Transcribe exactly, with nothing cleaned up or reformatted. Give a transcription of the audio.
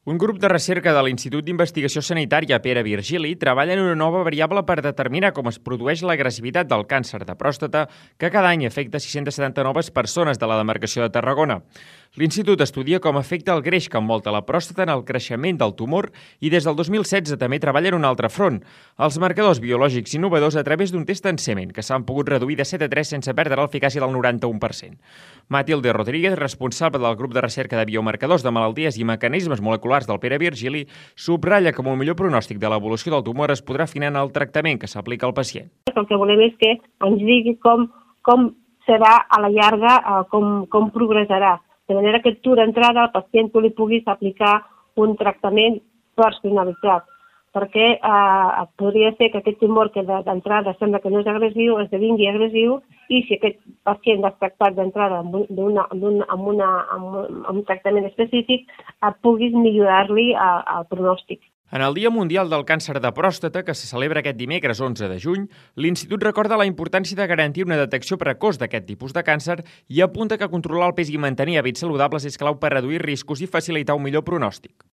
Un grup de recerca de l'Institut d'Investigació Sanitària Pere Virgili treballa en una nova variable per determinar com es produeix l'agressivitat del càncer de pròstata que cada any afecta sis-centes setanta noves persones de la demarcació de Tarragona. L'Institut estudia com afecta el greix que envolta la pròstata en el creixement del tumor i des del dos mil setze també treballa en un altre front, els marcadors biològics innovadors a través d'un test en semen que s'han pogut reduir de set a tres sense perdre l'eficàcia del noranta-u per cent. Matilde Rodríguez, responsable del grup de recerca de biomarcadors de malalties i mecanismes moleculars del Pere Virgili, subratlla que amb un millor pronòstic de l'evolució del tumor es podrà afinar en el tractament que s'aplica al pacient. El que volem és que ens digui com, com serà a la llarga, com, com progressarà, de manera que tu d'entrada al pacient tu li puguis aplicar un tractament personalitzat, perquè eh, podria ser que aquest tumor que d'entrada sembla que no és agressiu esdevingui agressiu i si aquest pacient l'has tractat d'entrada amb, una, amb, una, amb, una, amb, un, amb un tractament específic et puguis millorar-li el pronòstic. En el Dia Mundial del Càncer de Pròstata, que se celebra aquest dimecres onze de juny, l'Institut recorda la importància de garantir una detecció precoç d'aquest tipus de càncer i apunta que controlar el pes i mantenir hàbits saludables és clau per reduir riscos i facilitar un millor pronòstic.